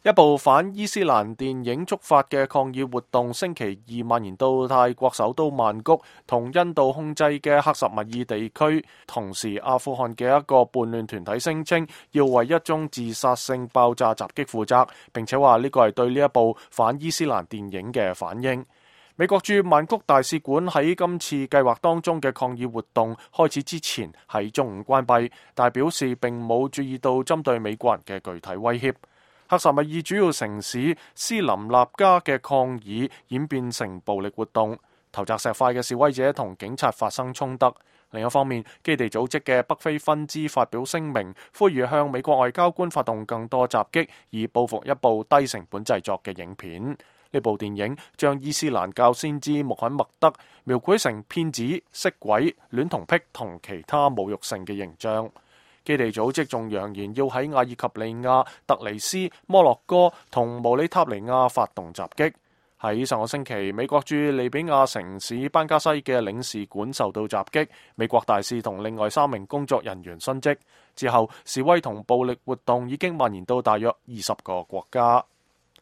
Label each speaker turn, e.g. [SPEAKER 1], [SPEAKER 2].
[SPEAKER 1] 一部反伊斯蘭電影觸發嘅抗議活動，星期二蔓延到泰國首都曼谷同印度控制嘅克什米爾地區。同時，阿富汗嘅一個叛亂團體聲稱要為一宗自殺性爆炸襲擊負責，並且話呢個係對呢一部反伊斯蘭電影嘅反應。美國駐曼谷大使館喺今次計劃當中嘅抗議活動開始之前喺中午關閉，但表示並冇注意到針對美國人嘅具體威脅。克什米爾主要城市斯林納加嘅抗議演變成暴力活動，投擲石塊嘅示威者同警察發生衝突。另一方面，基地組織嘅北非分支發表聲明，呼籲向美國外交官發動更多襲擊，以報復一部低成本製作嘅影片。呢部電影將伊斯蘭教先知穆罕默德描繪成騙子、色鬼、戀童癖同其他侮辱性嘅形象。基地組織仲揚言要喺阿爾及利亞、特尼斯、摩洛哥同毛里塔尼亞發動襲擊。喺上個星期，美國駐利比亞城市班加西嘅領事館受到襲擊，美國大使同另外3名工作人員殉職。之後，示威同暴力活動已經蔓延到大約20個國家。